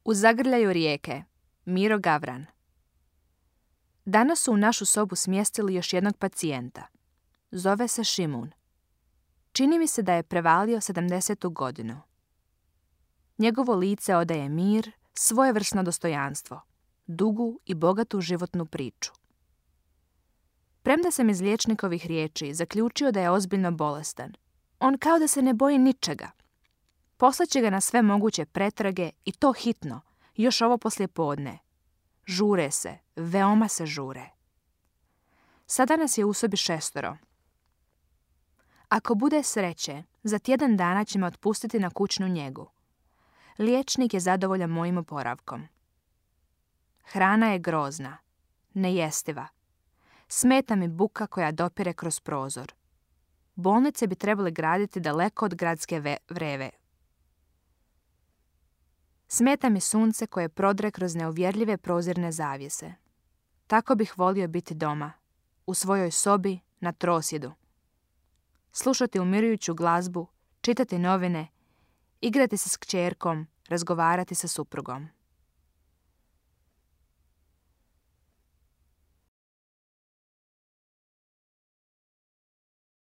U zagrljaju rijeke. Miro Gavran. Danas su u našu sobu smjestili još jednog pacijenta. Zove se Šimun. Čini mi se da je prevalio 70. godinu. Njegovo lice odaje mir, svojevrsno dostojanstvo, dugu i bogatu životnu priču. Premda sam iz liječnikovih riječi zaključio da je ozbiljno bolestan, on kao da se ne boji ničega. Poslaće ga na sve moguće pretrage i to hitno, još ovo poslijepodne. Žure se, veoma se žure. Sada nas je u sobi 6. Ako bude sreće, za tjedan dana će me otpustiti na kućnu njegu. Liječnik je zadovoljan mojim oporavkom. Hrana je grozna, nejestiva. Smeta mi buka koja dopire kroz prozor. Bolnice bi trebali graditi daleko od gradske vreve. Smeta mi sunce koje prodre kroz neuvjerljive prozirne zavjese. Tako bih volio biti doma, u svojoj sobi, na trosjedu. Slušati umirujuću glazbu, čitati novine, igrati se s kćerkom, razgovarati sa suprugom.